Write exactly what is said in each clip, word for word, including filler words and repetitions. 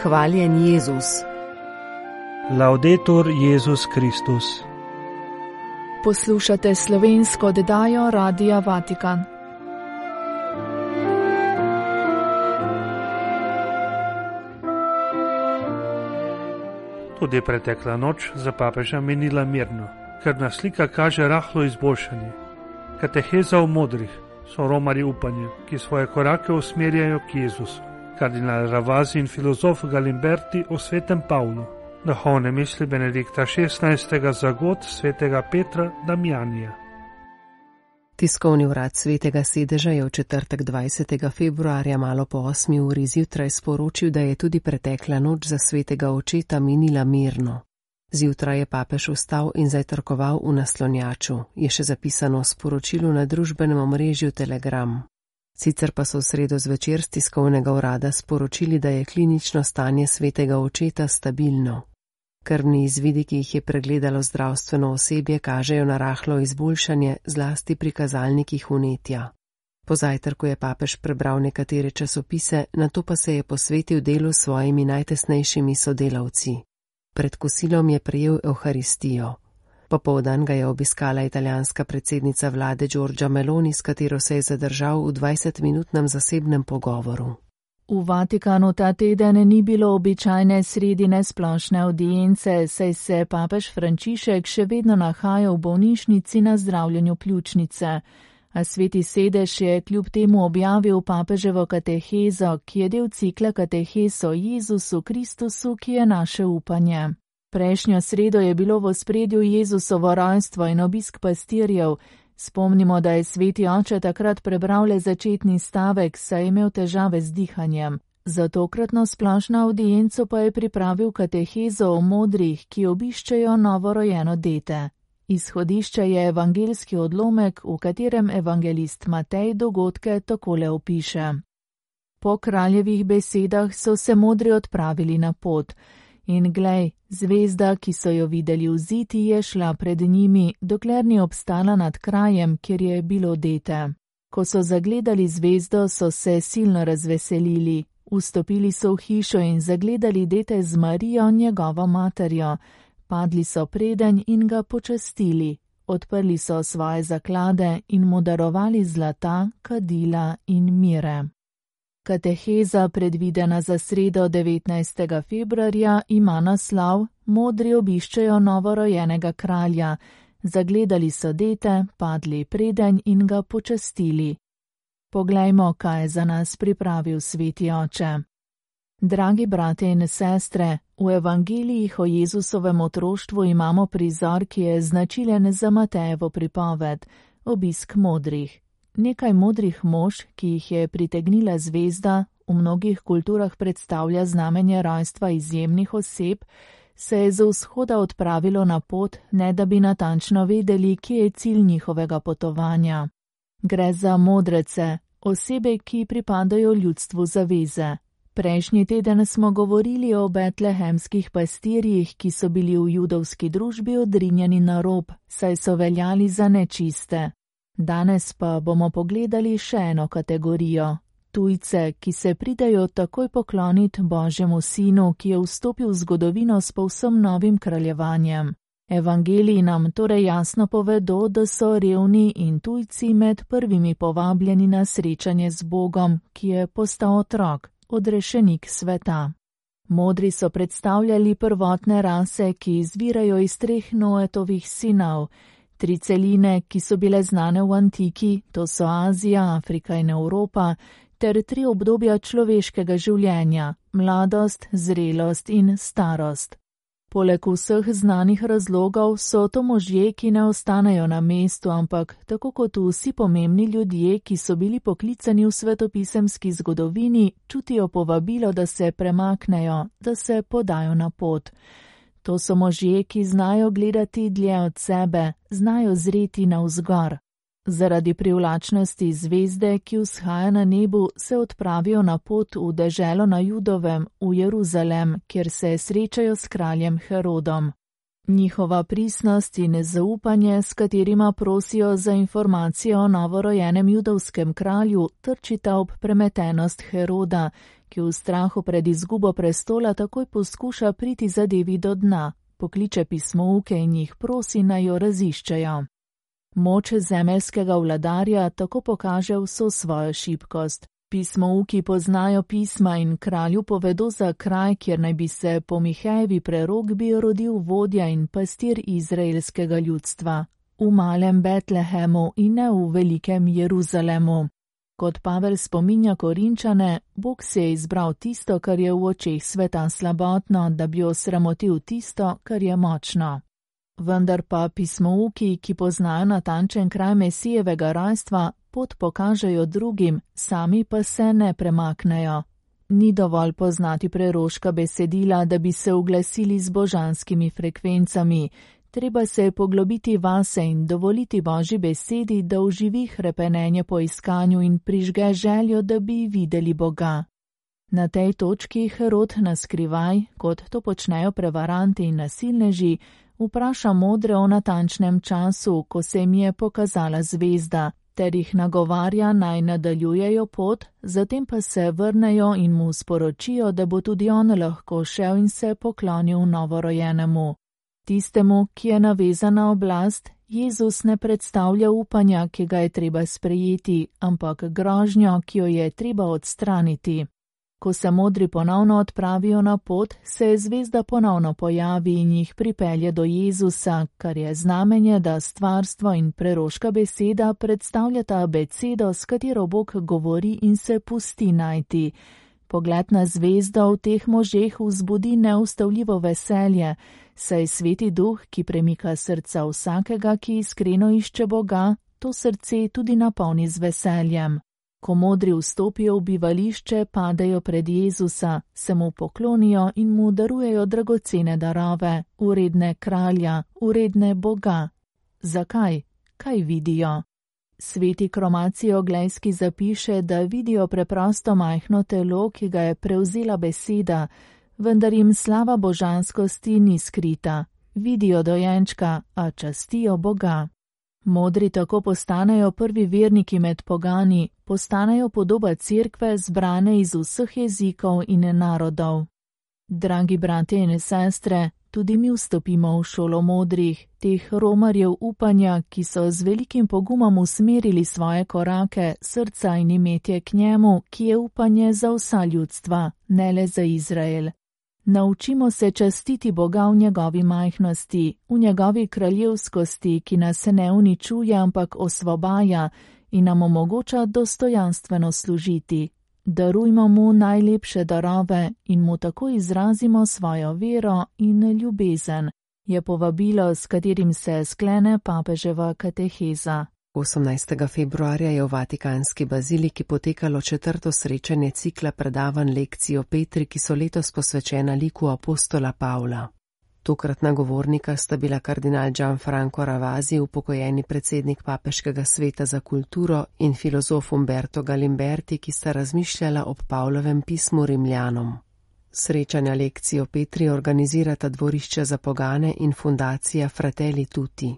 Hvaljen Jezus. Laudetur Jezus Kristus. Poslušate slovensko oddajo Radia Vatikan. Tudi pretekla noč za papeža minila mirno, krvna slika kaže rahlo izboljšanje. Kateheza o modrih so romarji upanja, ki svoje korake usmerjajo k Jezusu. Kardinal Ravasi in filozof Galimberti o svetem Pavlu. Duhovne misli Benedikta šestnajstega za god svetega Petra Damjanija. Tiskovni urad Svetega sedeža je v četrtek dvajsetega februarja malo po osmi uri zjutraj sporočil, da je tudi pretekla noč za svetega očeta minila mirno. Zjutraj je papež vstal in zajtrkoval v naslonjaču, je še zapisano v sporočilu na družbenem omrežju Telegram. Sicer pa so v sredo zvečer z tiskovnega urada sporočili, da je klinično stanje svetega očeta stabilno. Krvni izvidi, ki jih je pregledalo zdravstveno osebje, kažejo na rahlo izboljšanje, zlasti pri kazalnikih vnetja. Po zajtrku je papež prebral nekatere časopise, nato pa se je posvetil delu s svojimi najtesnejšimi sodelavci. Pred kosilom je prejel evharistijo. Popoldan ga je obiskala italijanska predsednica vlade Giorgia Meloni, s katero se je zadržal v dvajsetminutnem zasebnem pogovoru. V Vatikanu ta teden ni bilo običajne sredine splošne audience, saj se papež Frančišek še vedno nahaja v bolnišnici na zdravljenju pljučnice. A Sveti sedež je kljub temu objavil papeževo katehezo, ki je del cikla katehez o Jezusu Kristusu, ki je naše upanje. Prejšnjo sredo je bilo v ospredju Jezusovo rojstvo in obisk pastirjev. Spomnimo, da je sveti oče takrat prebral le začetni stavek, saj je imel težave z dihanjem. Za tokratno splošno audienco pa je pripravil katehezo o modrih, ki obiščejo novorojeno dete. Izhodišče je evangeljski odlomek, v katerem evangelist Matej dogodke takole opiše. Po kraljevih besedah so se modri odpravili na pot. In glej, zvezda, ki so jo videli vziti, je šla pred njimi, dokler ni obstala nad krajem, kjer je bilo dete. Ko so zagledali zvezdo, so se silno razveselili. Vstopili so v hišo in zagledali dete z Marijo, njegovo materjo. Padli so predenj in ga počastili. Odprli so svoje zaklade in mu darovali zlata, kadila in mire. Kateheza, predvidena za sredo devetnajstega februarja, ima naslov Modri obiščejo novorojenega kralja. Zagledali so dete, padli predenj in ga počastili. Poglejmo, kaj je za nas pripravil sveti oče. Dragi brate in sestre, v evangelijih o Jezusovem otroštvu imamo prizor, ki je značilen za Matejevo pripoved, obisk modrih. Nekaj modrih mož, ki jih je pritegnila zvezda, v mnogih kulturah predstavlja znamenje rojstva izjemnih oseb, se je z vzhoda odpravilo na pot, ne da bi natančno vedeli, kje je cilj njihovega potovanja. Gre za modrece, osebe, ki pripadajo ljudstvu zaveze. Prejšnji teden smo govorili o betlehemskih pastirjih, ki so bili v judovski družbi odrinjeni na rob, saj so veljali za nečiste. Danes pa bomo pogledali še eno kategorijo. Tujce, ki se pridejo takoj pokloniti Božjemu sinu, ki je vstopil v zgodovino s povsem novim kraljevanjem. Evangeliji nam torej jasno povedo, da so revni in tujci med prvimi povabljeni na srečanje z Bogom, ki je postal otrok, odrešenik sveta. Modri so predstavljali prvotne rase, ki izvirajo iz treh Noetovih sinov. Tri celine, ki so bile znane v antiki, to so Azija, Afrika in Evropa, ter tri obdobja človeškega življenja, mladost, zrelost in starost. Poleg vseh znanih razlogov so to možje, ki ne ostanejo na mestu, ampak tako kot vsi pomembni ljudje, ki so bili poklicani v svetopisemski zgodovini, čutijo povabilo, da se premaknejo, da se podajo na pot. To so možje, ki znajo gledati dlje od sebe, znajo zreti navzgor. Zaradi privlačnosti zvezde, ki vzhaja na nebu, se odpravijo na pot v deželo na Judovem, v Jeruzalem, kjer se srečajo s kraljem Herodom. Njihova pristnost in nezaupanje, s katerima prosijo za informacijo o novorojenem judovskem kralju, trčita ob premetenost Heroda, ki v strahu pred izgubo prestola takoj poskuša priti zadevi do dna, pokliče pismouke in jih prosi, naj jo raziščejo. Moč zemeljskega vladarja tako pokaže vso svojo šibkost. Pismouki poznajo pisma in kralju povedo za kraj, kjer naj bi se po Mihejevi prerokbi rodil vodja in pastir izraelskega ljudstva, v malem Betlehemu in ne v velikem Jeruzalemu. Kot Pavel spominja Korinčane, Bog se je izbral tisto, kar je v očeh sveta slabotno, da bi osramotil tisto, kar je močno. Vendar pa pismouki, ki poznajo natančen kraj Mesijevega rojstva, pot pokažejo drugim, sami pa se ne premaknejo. Ni dovolj poznati preroška besedila, da bi se uglasili z božanskimi frekvencami. Treba se je poglobiti vase in dovoliti Božji besedi, da oživi hrepenenje po iskanju in prižge željo, da bi videli Boga. Na tej točki Herod naskrivaj, kot to počnejo prevaranti in nasilneži, vpraša modre o natančnem času, ko se jim je pokazala zvezda, ter jih nagovarja naj nadaljujejo pot, zatem pa se vrnejo in mu sporočijo, da bo tudi on lahko šel in se poklonil novorojenemu. Tistemu, ki je navezan na oblast, Jezus ne predstavlja upanja, ki ga je treba sprejeti, ampak grožnjo, ki jo je treba odstraniti. Ko se modri ponovno odpravijo na pot, se zvezda ponovno pojavi in jih pripelje do Jezusa, kar je znamenje, da stvarstvo in preroška beseda predstavljata abecedo, s katero Bog govori in se pusti najti. Pogled na zvezdo v teh možeh vzbudi neustavljivo veselje, saj Sveti Duh, ki premika srca vsakega, ki iskreno išče Boga, to srce tudi napolni z veseljem. Ko modri vstopijo v bivališče, padejo pred Jezusa, se mu poklonijo in mu darujejo dragocene darove, uredne kralja, uredne Boga. Zakaj? Kaj vidijo? Sveti Kromacijo Glejski zapiše, da vidijo preprosto majhno telo, ki ga je prevzela beseda, vendar jim slava božanskosti ni skrita. Vidijo dojenčka, a častijo Boga. Modri tako postanejo prvi verniki med pogani, postanejo podoba cerkve zbrane iz vseh jezikov in narodov. Dragi bratje in sestre, tudi mi vstopimo v šolo modrih, teh romarjev upanja, ki so z velikim pogumom usmerili svoje korake, srca in imetje k njemu, ki je upanje za vsa ljudstva, ne le za Izrael. Naučimo se častiti Boga v njegovi majhnosti, v njegovi kraljevskosti, ki nas ne uničuje, ampak osvobaja in nam omogoča dostojanstveno služiti. Darujmo mu najlepše darove in mu tako izrazimo svojo vero in ljubezen, je povabilo, s katerim se sklene papeževa kateheza. osemnajstega februarja je v Vatikanski baziliki potekalo četrto srečanje cikla predavanj lekcij o Petri, ki so letos posvečena liku apostola Pavla. Tokratna govornika sta bila kardinal Gianfranco Ravasi, upokojeni predsednik Papeškega sveta za kulturo, in filozof Umberto Galimberti, ki sta razmišljala ob Pavlovem pismu Rimljanom. Srečanja lekcij o Petri organizirata dvorišče za pogane in fundacija Fratelli Tutti.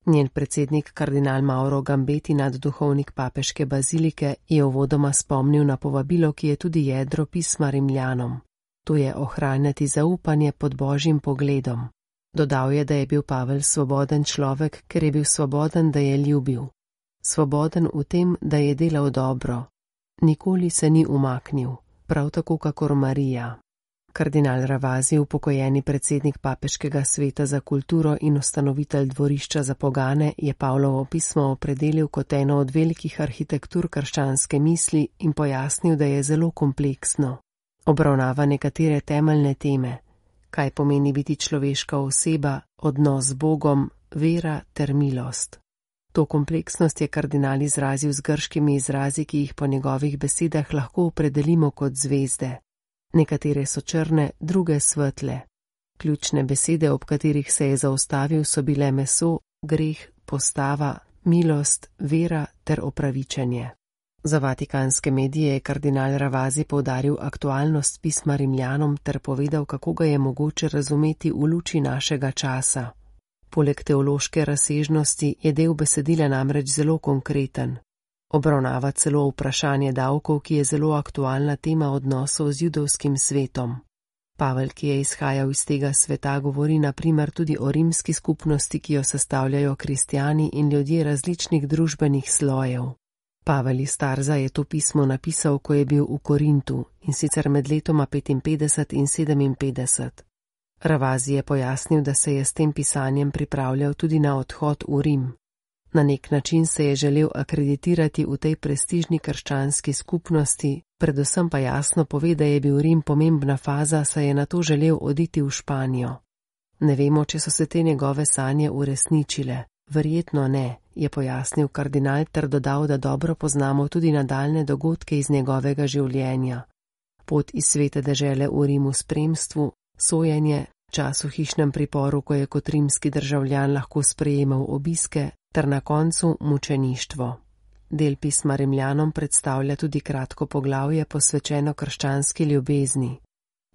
Njen predsednik kardinal Mauro Gambeti, nadduhovnik papeške bazilike, je uvodoma spomnil na povabilo, ki je tudi jedro pisma Rimljanom. To je ohranjati zaupanje pod Božjim pogledom. Dodal je, da je bil Pavel svoboden človek, ker je bil svoboden, da je ljubil. Svoboden v tem, da je delal dobro. Nikoli se ni umaknil, prav tako kakor Marija. Kardinal Ravasi, upokojeni predsednik Papeškega sveta za kulturo in ustanovitelj dvorišča za pogane, je Pavlovo pismo opredelil kot eno od velikih arhitektur krščanske misli in pojasnil, da je zelo kompleksno. Obravnava nekatere temeljne teme, kaj pomeni biti človeška oseba, odnos z Bogom, vera ter milost. To kompleksnost je kardinal izrazil z grškimi izrazi, ki jih po njegovih besedah lahko opredelimo kot zvezde. Nekatere so črne, druge svetle. Ključne besede, ob katerih se je zaustavil, so bile meso, greh, postava, milost, vera ter opravičenje. Za vatikanske medije je kardinal Ravasi poudaril aktualnost pisma Rimljanom ter povedal, kako ga je mogoče razumeti v luči našega časa. Poleg teološke razsežnosti je del besedila namreč zelo konkreten. Obravnava celo vprašanje davkov, ki je zelo aktualna tema odnosov z judovskim svetom. Pavel, ki je izhajal iz tega sveta, govori na primer tudi o rimski skupnosti, ki jo sestavljajo kristjani in ljudje različnih družbenih slojev. Pavel iz Tarza je to pismo napisal, ko je bil v Korintu, in sicer med letoma petinpetdeset in sedeminpetdeset. Ravasi je pojasnil, da se je s tem pisanjem pripravljal tudi na odhod v Rim. Na nek način se je želel akreditirati v tej prestižni krščanski skupnosti, predvsem pa jasno pove, da je bil Rim pomembna faza, saj je nato želel oditi v Španijo. Ne vemo, če so se te njegove sanje uresničile. Verjetno ne, je pojasnil kardinal ter dodal, da dobro poznamo tudi nadaljne dogodke iz njegovega življenja. Pot iz svete dežele v Rimu spremstvu, sojenje, čas v hišnem priporu, ko je kot rimski državljan lahko sprejemal obiske, ter na koncu mučeništvo. Del pisma Rimljanom predstavlja tudi kratko poglavje posvečeno krščanski ljubezni.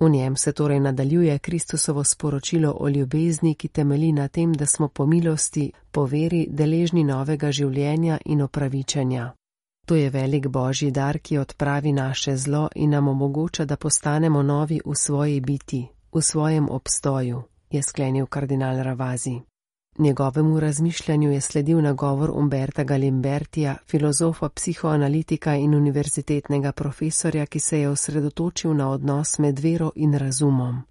V njem se torej nadaljuje Kristusovo sporočilo o ljubezni, ki temelji na tem, da smo po milosti, po veri deležni novega življenja in opravičenja. To je velik božji dar, ki odpravi naše zlo in nam omogoča, da postanemo novi v svoji biti, v svojem obstoju, je sklenil kardinal Ravasi. Njegovemu razmišljanju je sledil nagovor Umberta Galimbertija, filozofa, psihoanalitika in univerzitetnega profesorja, ki se je osredotočil na odnos med vero in razumom.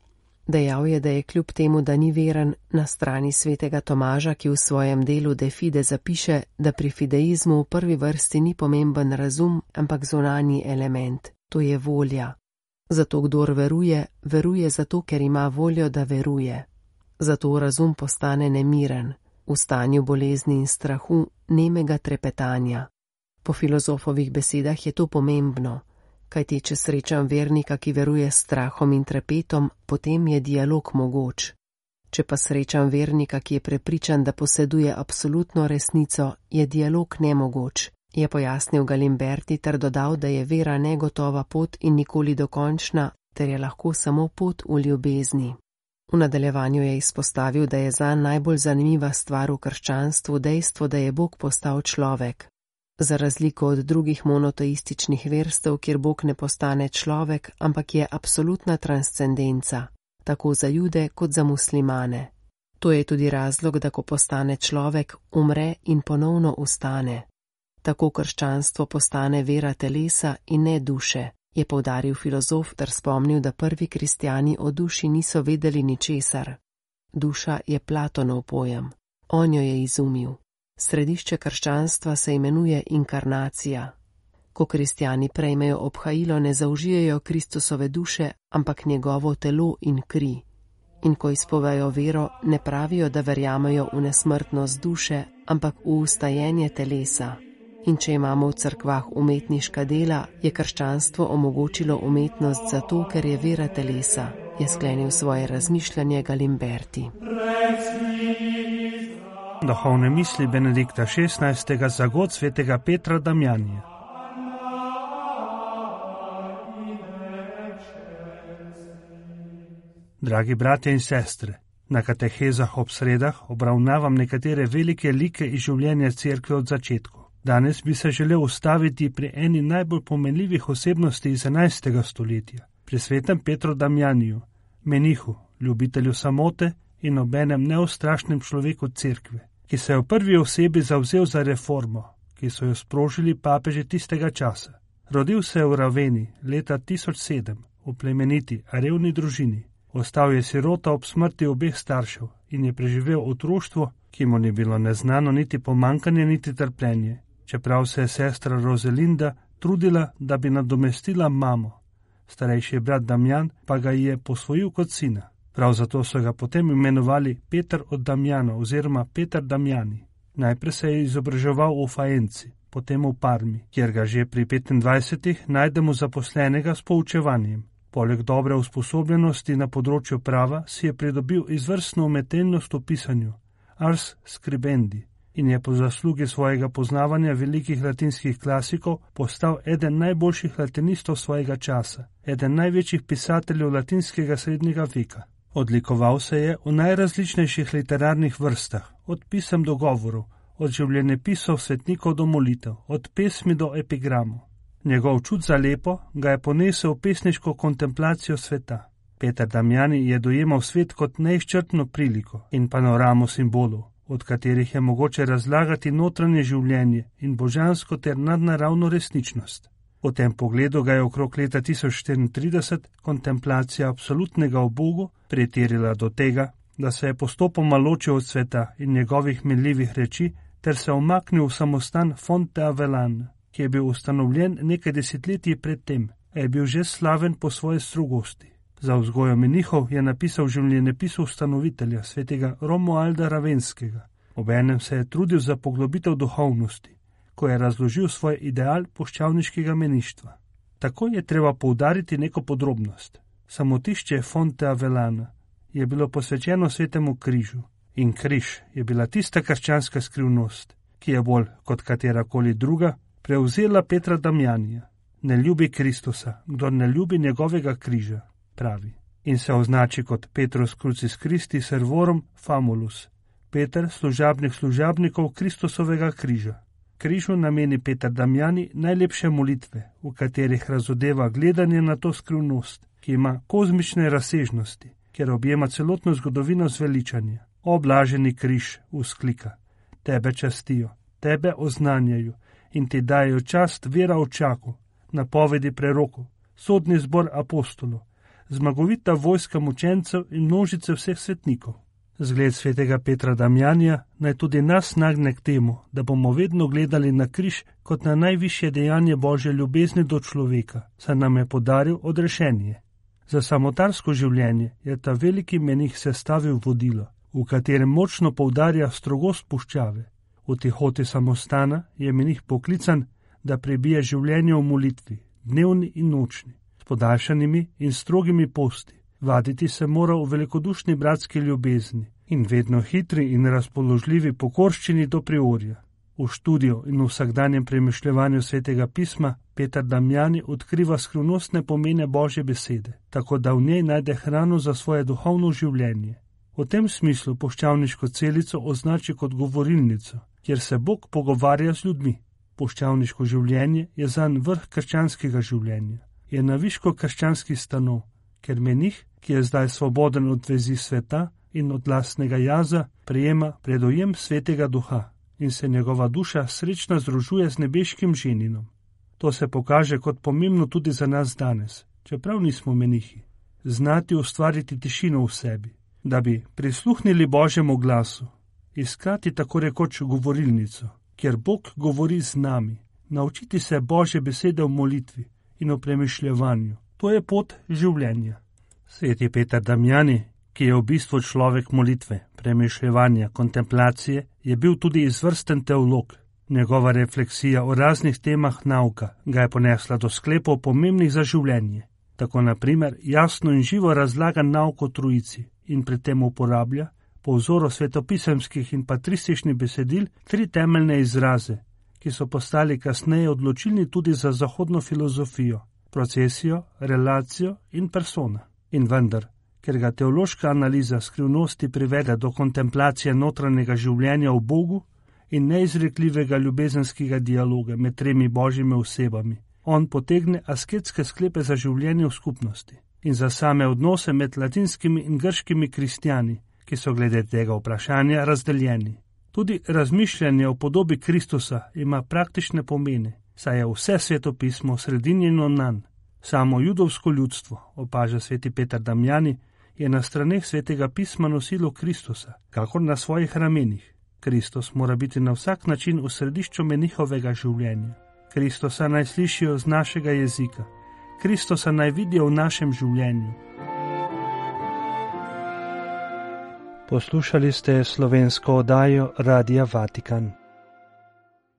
Dejal je, da je kljub temu, da ni veren, na strani svetega Tomaža, ki v svojem delu De Fide zapiše, da pri fideizmu v prvi vrsti ni pomemben razum, ampak zunanji element, to je volja. Zato kdor veruje, veruje zato, ker ima voljo, da veruje. Zato razum postane nemiren, v stanju bolezni in strahu, nemega trepetanja. Po filozofovih besedah je to pomembno, kajti če srečam vernika, ki veruje s strahom in trepetom, potem je dialog mogoč. Če pa srečam vernika, ki je prepričan, da poseduje absolutno resnico, je dialog nemogoč, je pojasnil Galimberti ter dodal, da je vera negotova pot in nikoli dokončna, ter je lahko samo pot v ljubezni. V nadaljevanju je izpostavil, da je zanj najbolj zanimiva stvar v krščanstvu dejstvo, da je Bog postal človek. Za razliko od drugih monoteističnih verstev, kjer Bog ne postane človek, ampak je absolutna transcendenca, tako za Jude kot za muslimane. To je tudi razlog, da ko postane človek, umre in ponovno ustane. Tako krščanstvo postane vera telesa in ne duše, je poudaril filozof ter spomnil, da prvi kristjani o duši niso vedeli ničesar. Duša je Platonov pojem. On jo je izumil. Središče krščanstva se imenuje inkarnacija. Ko kristjani prejmejo obhajilo, ne zaužijejo Kristusove duše, ampak njegovo telo in kri. In ko izpovejo vero, ne pravijo, da verjamejo v nesmrtnost duše, ampak v ustajenje telesa. In če imamo v cerkvah umetniška dela, je krščanstvo omogočilo umetnost zato, ker je vera telesa, je sklenil svoje razmišljanje Galimberti. Duhovne misli Benedikta šestnajstega za god svetega Petra Damjanija. Dragi bratje in sestre, na katehezah ob sredah obravnavam nekatere velike like iz življenja cerkve od začetku. Danes bi se želel ustaviti pri eni najbolj pomenljivih osebnosti iz enajstega stoletja, pri svetem Petru Damjaniju, menihu, ljubitelju samote in obenem neustrašnem človeku cerkve, ki se je v prvi osebi zavzel za reformo, ki so jo sprožili papeži tistega časa. Rodil se je v Raveni leta tisoč sedem v plemeniti, a revni družini. Ostal je sirota ob smrti obeh staršev in je preživel otroštvo, ki mu ni bilo neznano niti pomankanje, niti trpljenje, čeprav se je sestra Rozelinda trudila, da bi nadomestila mamo. Starejši brat Damjan pa ga je posvojil kot sina. Prav zato so ga potem imenovali Peter od Damjana oziroma Peter Damjani. Najprej se je izobraževal v Faenci, potem v Parmi, kjer ga že pri petindvajsetih najdemo zaposlenega s poučevanjem. Poleg dobre usposobljenosti na področju prava si je pridobil izvrstno umetelnost v pisanju, ars scribendi, in je po zaslugi svojega poznavanja velikih latinskih klasikov postal eden najboljših latinistov svojega časa, eden največjih pisateljev latinskega srednjega veka. Odlikoval se je v najrazličnejših literarnih vrstah, od pisem do govorov, od življenjepisov svetnikov do molitev, od pesmi do epigramov. Njegov čut za lepo ga je ponesel v pesniško kontemplacijo sveta. Peter Damiani je dojemal svet kot neizčrpno priliko in panoramo simbolov, od katerih je mogoče razlagati notranje življenje in božansko ter nadnaravno resničnost. V tem pogledu ga je okrog leta tisoč štiriintrideset kontemplacija absolutnega o Bogu pretirila do tega, da se je postopoma ločil od sveta in njegovih minljivih reči ter se omaknil v samostan Fonte Avellan, ki je bil ustanovljen nekaj desetletij predtem, a je bil že slaven po svoji strogosti. Za vzgojo menihov je napisal življenjepis ustanovitelja, svetega Romualda Ravenskega. Obenem se je trudil za poglobitev duhovnosti, ko je razložil svoj ideal puščavniškega meništva. Tako je treba poudariti neko podrobnost. Samotišče Fonte Avellana je bilo posvečeno svetemu križu in križ je bila tista krščanska skrivnost, ki je bolj kot katerakoli druga prevzela Petra Damianija. Ne ljubi Kristusa, kdor ne ljubi njegovega križa, pravi, in se označi kot Petrus Crucis Christi servorum famulus, Peter, služabnik služabnikov Kristusovega križa. Križu nameni Peter Damiani najlepše molitve, v katerih razodeva gledanje na to skrivnost, ki ima kozmične razsežnosti, ker objema celotno zgodovino zveličanja. O blaženi križ, vzklika, tebe častijo, tebe oznanjajo in ti dajo čast vera očaku, napovedi prerokov, sodni zbor apostolov, zmagovita vojska mučencev in množice vseh svetnikov. Zgled svetega Petra Damianija naj tudi nas nagne k temu, da bomo vedno gledali na križ kot na najvišje dejanje Božje ljubezni do človeka, saj nam je podaril odrešenje. Za samotarsko življenje je ta veliki menih sestavil vodilo, v katerem močno poudarja strogost puščave. V tihoti samostana je menih poklican, da prebije življenje v molitvi, dnevni in nočni, s podaljšanimi in strogimi posti. Vaditi se mora v velikodušni bratski ljubezni in vedno hitri in razpoložljivi pokorščini do priorja. V študiju in v vsakdanjem premišljevanju svetega pisma Peter Damiani odkriva skrivnostne pomene Božje besede, tako da v njej najde hrano za svoje duhovno življenje. V tem smislu puščavniško celico označi kot govorilnico, kjer se Bog pogovarja z ljudmi. Puščavniško življenje je zanj vrh krščanskega življenja. Je naviško krščanski stanov, ker menih, ki je zdaj svoboden od vezi sveta in od lastnega jaza, prejema predojem svetega duha in se njegova duša srečna združuje z nebeškim ženinom. To se pokaže kot pomembno tudi za nas danes, čeprav nismo menihi. Znati ustvariti tišino v sebi, da bi prisluhnili Božjemu glasu, iskati tako rekoč govorilnico, kjer Bog govori z nami, naučiti se Božje besede v molitvi in v premišljevanju. To je pot življenja. Sveti Peter Damiani, ki je v bistvu človek molitve, premišljevanja, kontemplacije, je bil tudi izvrsten teolog. Njegova refleksija o raznih temah nauka ga je ponesla do sklepov pomembnih za življenje. Tako na primer jasno in živo razlaga nauk o Trojici in pri tem uporablja, po vzoru svetopisemskih in patrističnih besedil, tri temeljne izraze, ki so postali kasneje odločilni tudi za zahodno filozofijo: procesijo, relacijo in persona. In vendar, ker ga teološka analiza skrivnosti privede do kontemplacije notranjega življenja v Bogu in neizrekljivega ljubezenskega dialoga med tremi božjimi osebami, on potegne asketske sklepe za življenje v skupnosti in za same odnose med latinskimi in grškimi kristjani, ki so glede tega vprašanja razdeljeni. Tudi razmišljanje o podobi Kristusa ima praktične pomene, saj je vse svetopismo sredinjeno nanj. Samo judovsko ljudstvo, opaža sveti Peter Damiani, je na straneh svetega pisma nosilo Kristusa, kakor na svojih ramenih. Kristus mora biti na vsak način v središču menihovega življenja. Kristusa naj slišijo z našega jezika. Kristusa naj vidijo v našem življenju. Poslušali ste slovensko oddajo Radia Vatikan.